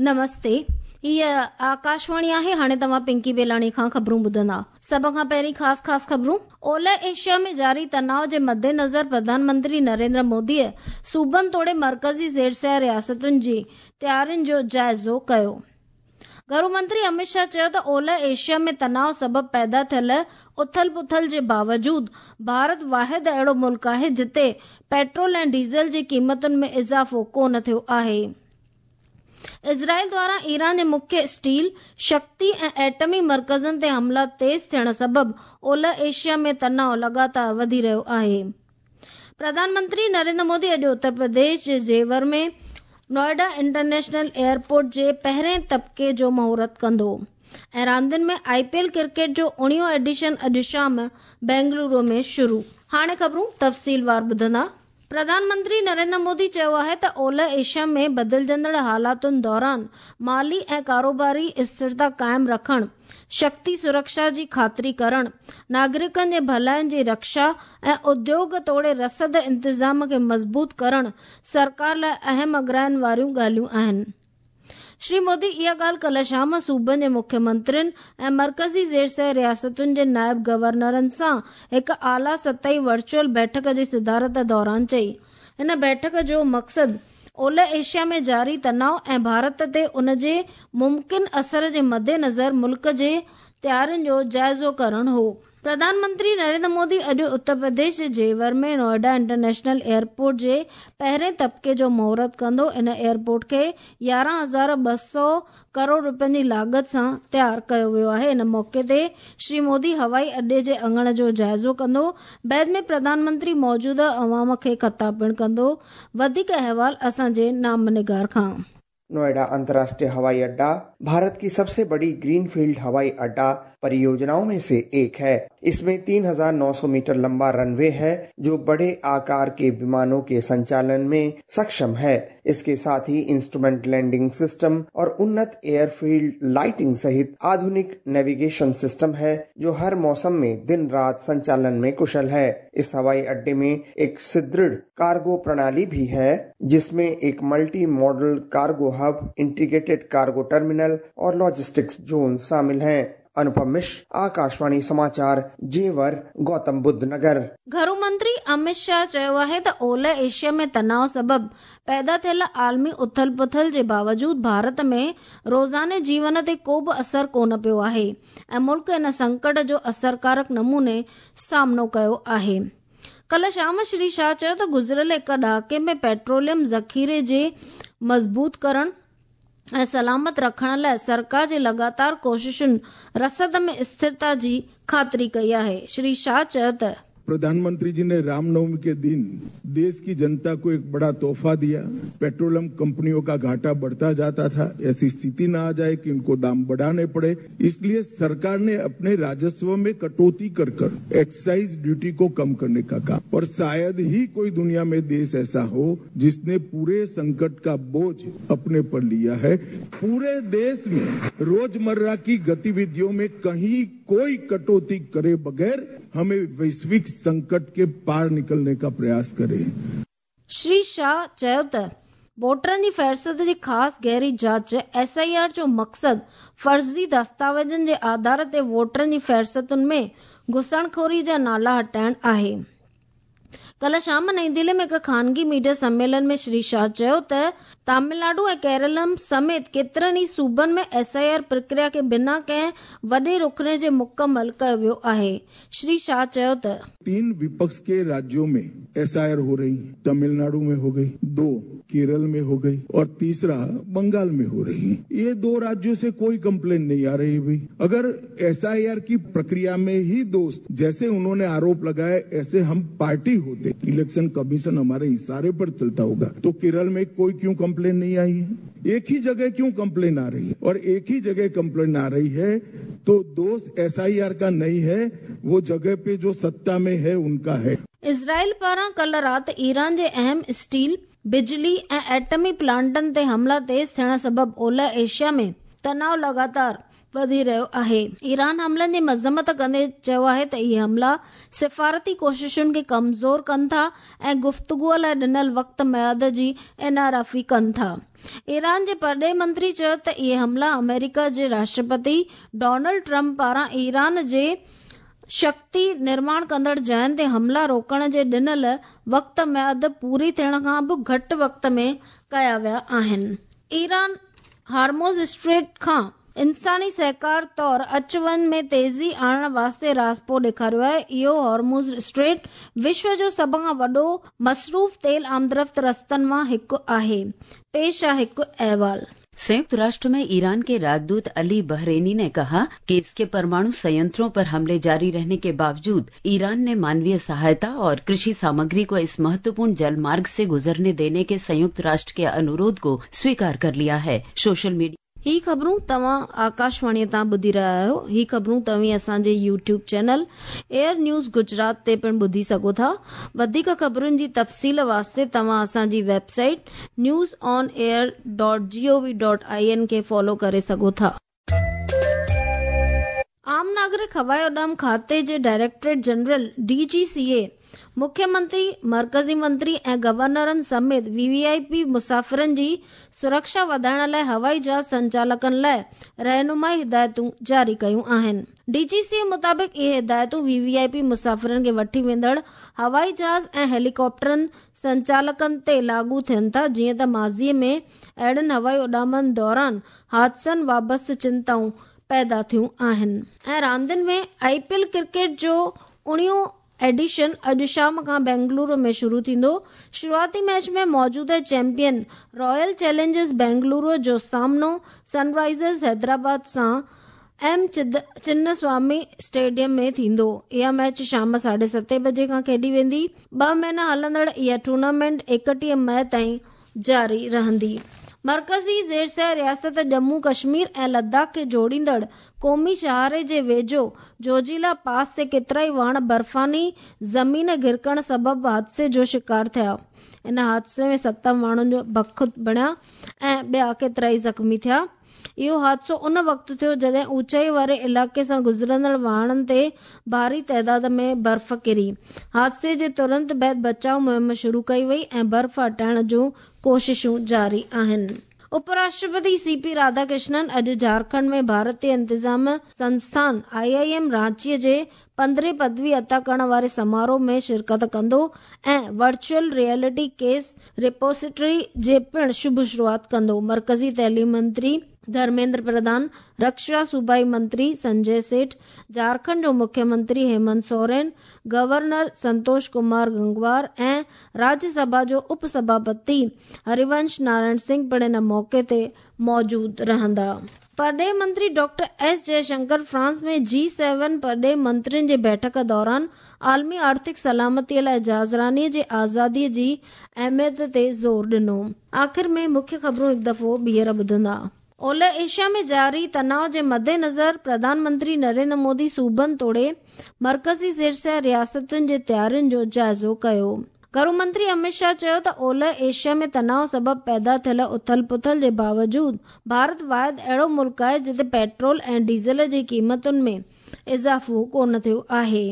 نمستي هيء آڪاشواڻي آهي هاڻي توهان پنڪي بيلاڻي کان خبرون ٻڌندا سڀ کان پهرين خاص خاص خبرون اولهه ايشيا ۾ جاري تناء جي مدنظر پرڌان منتري نريندر موديء صوبن توڙي مرڪزي زيرسيا رياستن جي تيارين جو جائزو ڪيو گهرو منتري امت شاهه چيو ته اولهه ايشيا ۾ تناء سبب پيدا ٿيل اٿل پٿل جي باوجود ڀارت واحد اهڙو ملڪ آهي جتي پيٽرول ۽ ڊيزل جي قيمتن ۾ اضافو ڪونه ٿيو آهي. اسرائيل دواران ايران جي مکيه اسٽيل، شڪتي ۽ ايٽمي مرڪزن تي حملا تيز ٿيڻ سبب اولهه ايشيا ۾ تناء لڳاتار وڌي رهيو آهي. پرڌان منتري نريندر مودي اڄ اتر پرديش جي زيور ۾ نوئيڊا انٽرنيشنل ايئرپورٽ جي پهرين طبقي جو مهورت ڪندو ۽ راندين ۾ آء پي ايل ڪرڪيٽ جو اوڻيهون ايڊيشن اڄ شام بينگلورو ۾ شروع. هاڻي خبرون تفصيلوار ٻڌندا. پرڌان منتري نريندر مودي چيو آهي ته اولهه ايشيا ۾ بدلجندڙ حالاتن دوران مالي ۽ ڪاروباري اسٿرتا قائم رکڻ، شڪتي سرڪشا جي خاطري ڪرڻ، ناگرڪن جي ڀلائين جي رڪشا ۽ اديوگ توڙي رسد انتظام کي مضبوط ڪرڻ سرڪار لاء اهم اڳراين واريون ڳالهيون آهن. شري مودي اها ڳالهه ڪلهه شام صوبن جي مکيه منترين ۽ مرڪزي زيرسير رياستن جي نائب گورنرن سان هڪ اعليٰ سطحي ورچوئل بيٺڪ جي صدارت دوران چئي. هن بيٺڪ جو مقصد اولهه ايشيا ۾ جاري تناء ۽ ڀارت تي ان جي ممڪن اثر جي مدنظر ملڪ جي تيارين جو جائزو ڪرڻ هو. پرڌان منتري نريندر مودي اڄ اتر پرديش جي زيور ۾ نوئيڊا انٽرنيشنل ايئرپورٽ جي پهرين طبقي جو مهورت ڪندو. ان ايئرپورٽ کي 11200 ڪروڙ روپين جي لاڳت سان تيار ڪيو ويو آهي. ان موقعي تي شري مودي هوائي اڏي جي اڱڻ جو جائزو ڪندو. بعد ۾ پرڌان منتري موجوده عوام کي خطاب پڻ ڪندو. وڌيڪ احوال اسان جي نامه نگار کان. नोएडा अंतर्राष्ट्रीय हवाई अड्डा भारत की सबसे बड़ी ग्रीनफील्ड हवाई अड्डा परियोजनाओं में से एक है। इसमें 3,900 मीटर लंबा रनवे है, जो बड़े आकार के विमानों के संचालन में सक्षम है। इसके साथ ही इंस्ट्रूमेंट लैंडिंग सिस्टम और उन्नत एयरफील्ड लाइटिंग सहित आधुनिक नेविगेशन सिस्टम है, जो हर मौसम में दिन रात संचालन में कुशल है। इस हवाई अड्डे में एक सुदृढ़ कार्गो प्रणाली भी है, जिसमें एक multi modal cargo hub, integrated cargo terminal और लॉजिस्टिक्स जोन शामिल हैं। अनुपम मिश्र, आकाशवाणी समाचार, जेवर, गौतम बुद्ध नगर। گهرو منتري امت شاهه چيو آهي ته اولهه ايشيا ۾ تناء سبب پيدا ٿيل عالمي اٿل پٿل جي باوجود ڀارت ۾ روزاني جيون تي ڪو به اثر ڪونه پيو آهي ۽ ملڪ ان سنڪٽ جو اثرڪارڪ نموني سامنو ڪيو آهي. ڪلهه شام شري شاهه چيو ته گذريل هڪ ڏهاڪي ۾ پيٽروليم ذخيري جي مضبوط ڪرڻ ۽ سلامت رکڻ لاء سرڪار جي لڳاتار ڪوششن رسد ۾ اسٿرتا جي خاطري ڪئي آهي. شري شاهه چيو ته. प्रधानमंत्री जी ने रामनवमी के दिन देश की जनता को एक बड़ा तोहफा दिया। पेट्रोलियम कंपनियों का घाटा बढ़ता जाता था, ऐसी स्थिति न आ जाए कि उनको दाम बढ़ाने पड़े, इसलिए सरकार ने अपने राजस्व में कटौती कर कर एक्साइज ड्यूटी को कम करने का काम। और शायद ही कोई दुनिया में देश ऐसा हो जिसने पूरे संकट का बोझ अपने पर लिया है। पूरे देश में रोजमर्रा की गतिविधियों में कहीं कोई कटौती करे बगैर हमें वैश्विक संकट के पार निकलने का प्रयास करें। شري شاهه چيو ته ووٽرن جي فهرست جي خاص گهري جاچ ايس I R جو مقصد فرضي دستاويزن جي آڌار تي ووٽرن جي فهرستن ۾ گهسڻخوري جا نالا هٽائڻ آهي. ڪلهه شام نئين دهلي ۾ هڪ خانگي ميڊيا سميلن ۾ شري شاهه چيو ته تامل ناڊو ۽ ڪيرلم سميت ڪيترن ئي صوبن ۾ ايس I R پرڪريا کي بنا ڪنهن وڏي رخني جي مڪمل ڪيو ويو آهي. شري شاهه چيو ته. 3 وپڪش ڪي راجيون ۾ ايس I R هو رهي، تامل ناڊو ۾ هو گئي، 2 ڪيرل ۾ هو گئي اور تيسرا بنگال ۾ هو رهي. يي 2 راجيون سي ڪوئي ڪمپلين نهين آ رهي ڀئي. اگر ايس I R ڪي پرڪريا ۾ هي دوست جيسي انهون ني آروپ لگايا ايسي هم پارٽي هوتي، اليڪشن ڪميشن هماري اشاري پر چلتا هوگا تو ڪيرل ۾ ڪوئي ڪيون ڪمپلين نهين آئي هي؟ ايڪ هي جگهه ڪيون ڪمپلين آ رهي هي؟ اور ايڪ هي جگهه ڪمپلين آ رهي هي تو دوش ايس I R ڪا نهين هي، وو جگهه پي جو ستا ۾ هي انڪا هي. اسرائيل پاران ڪلهه رات ايران جي اهم اسٽيل، بجلي ۽ ايٽمي پلانٽن تي حملا تيز ٿيڻ سبب اولهه ايشيا ۾ تناء لڳاتار وڌي رهيو آهي. ايران حملن جي مذمت ڪندي چيو آهي ته اهي حملا سفارتي ڪوششن کي ڪمزور ڪن ٿا ۽ گفتگو لاء ڏنل وقت ميعاد جي انحرافي ڪن ٿا. ايران جي پرڏيهي منتري چيو ته اهي حملا آمريڪا جي راشٽرپتي ڊونلڊ ٽرمپ پاران ايران جي شڪتي نرماڻ ڪندڙ جاين تي حملا روڪڻ جي ڏنل وقت ميعاد پوري ٿيڻ کان به گهٽ وقت ۾ ڪيا ويا آهن. ايران هارموز اسٽريٽ کان انساني سهڪار طور اچ وڃ ۾ تيزي آڻڻ واسطي راضپو ڏيکاريو آهي. اهو هارموز اسٽريٽ وشو جو سڀ کان وڏو مصروف تيل آمدرفت رستن مان هڪ آهي. پيش آهي هڪ احوال. संयुक्त राष्ट्र में ईरान के राजदूत अली बहरेनी ने कहा कि इसके परमाणु संयंत्रों पर हमले जारी रहने के बावजूद ईरान ने मानवीय सहायता और कृषि सामग्री को इस महत्वपूर्ण जलमार्ग से गुजरने देने के संयुक्त राष्ट्र के अनुरोध को स्वीकार कर लिया है। सोशल मीडिया ही ख़बरूं तव्हां आकाशवाणीअ तां ॿुधी रहिया आहियो। ही ख़बरूं तव्हीं असांजे YouTube channel AIR news Gujarat ते पिणु ॿुधी सघो था। वधीक ख़बरुनि जी तफ़सील वास्ते तव्हां असांजी website news on air dot G O V dot I N खे फॉलो करे सघो था। आम नागरिक हवाई उॾाम खाते जे directorate general D G C A मुख्यमंत्री, मर्कज़ी मंत्री ऐं गवर्नरनि समेत वी वी I P मुसाफ़िरनि जी सुरक्षा वधाइण लाइ हवाई जहाज़ संचालकनि लाइ रहनुमाई हिदायतूं जारी कयूं आहिनि। डी जी सी ए मुताबिक़ इहे हिदायतूं वी वी I P मुसाफ़िरनि खे वठी वेंदड़ हवाई जहाज़ ऐं हेलीकॉप्टरनि संचालकनि ते लागू थियनि था, जीअं त माज़ीअ में अहिड़नि हवाई उॾामनि दौरान हादसनि वाबस्ते चिंताऊं पैदा थियूं आहिनि। ऐं रांदियुनि में I P L cricket जो 19 एडिशन अॼु शाम खां बेंगलुरु में शुरू थींदो। शुरूआती मैच में मौजूदा चैंपियन रॉयल चैलेंजर्स बेंगलुरु जो सामनो सनराइजर्स हैदराबाद सां एम चिन्नस्वामी स्टेडियम में थींदो। इहा मैच शाम 7:30 बजे खां खेॾी वेंदी। 2 महीना हलंदड़ इहा टूर्नामेंट 31 मई ताईं जारी रहंदी। मर्कज़ी ज़ेर रियासत जम्मू कश्मीर ऐं लद्दाख खे जोड़ींदड़ क़ौमी शाहरे जे वेझो जोजिला पास ते केतिराई वाण बर्फ़ानी ज़मीन घिरकण सबबु हादसे जो शिकार थिया। इन हादसे में 7 माण्हुनि जो बख बणिया ऐं ॿिया केतिराई ज़ख़्मी थिया। इहो हादसो उन वक़्तु थियो जॾहिं ऊंचाई वारे इलाइक़े सां गुज़रंदड़ वाहणनि ते भारी तादाद में बर्फ़ किरी। हादसे जे तुरंत बाद बचाव मुहिम शुरू कई वई ऐं बर्फ़ हटाइण जूं कोशिशूं जारी आहिनि। उपराष्ट्रपति सी पी राधाकृष्णन अॼु झारखंड में भारतीय इंतज़ाम संस्थान आई I am रांचीअ जे 15 पदवी अता करण वारे समारोह में शिरकत कंदो ऐं वर्चुअल रियलिटी केस रिपोसिटरी जे पिणु शुभ शुरूआत कंदो। मर्कज़ी तइलीम मंत्री धर्मेंद्र प्रधान, रक्षा सूबाई मंत्री संजय सेठ, झारखंड जो मुख्यमंत्री हेमंत सोरेन, गवर्नर संतोष कुमार गंगवार ऐं राज्यसभा जो उपसभापति हरिवंश नारायण सिंह पिणु इन मौक़े ते मौजूदु रहंदा। परॾेह मंत्री डॉक्टर एस जयशंकर फ्रांस में G7 परॾेह मंत्रियुनि जे बैठक दौरान आलमी आर्थिक सलामतीअ लाइ जहाज़रानीअ जे आज़ादीअ जी अहमियत ते ज़ोर ॾिनो। आख़िर में मुख्य ख़बरूं हिकु दफ़ो ॿीहर ॿुधंदा। ओलह एशिया में जारी तनाव जे मद्देनज़र प्रधानमंत्री नरेंद्र मोदी सूबनि तोड़े मर्कज़ी ज़ेर रियासतुनि जे तयारियुनि जो जाइज़ो कयो। घरू मंत्री अमित शाह चयो त ओलह एशिया में तनाव सबबु पैदा थियल उथल पुथल जे बावजूद भारत वाहिद अहिड़ो मुल्क आहे जिते पेट्रोल ऐं डीज़ल जी क़ीमतुनि में इज़ाफ़ो कोन थियो आहे।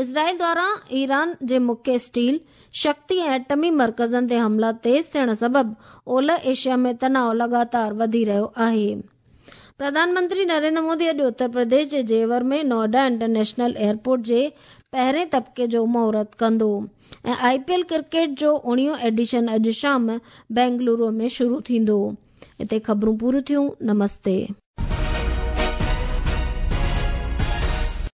इज़राइल द्वारा ईरान जे मुख्य स्टील, शक्ति ऐं एटमी मर्कज़नि ते हमला तेज़ थियण सबबु ओलह एशिया में तनाव लॻातार वधी रहियो आहे। प्रधानमंत्री नरेंद्र मोदी अॼु उत्तर प्रदेश जे जेवर में नोएडा इंटरनेशनल एयरपोर्ट जे पहिरें तबिके जो मुहूर्त कंदो ऐं I P L cricket जो 19 एडिशन अॼु शाम बेंगलुरु में शुरू थींदो। हिते ख़बरूं पूरियूं थियूं। नमस्ते।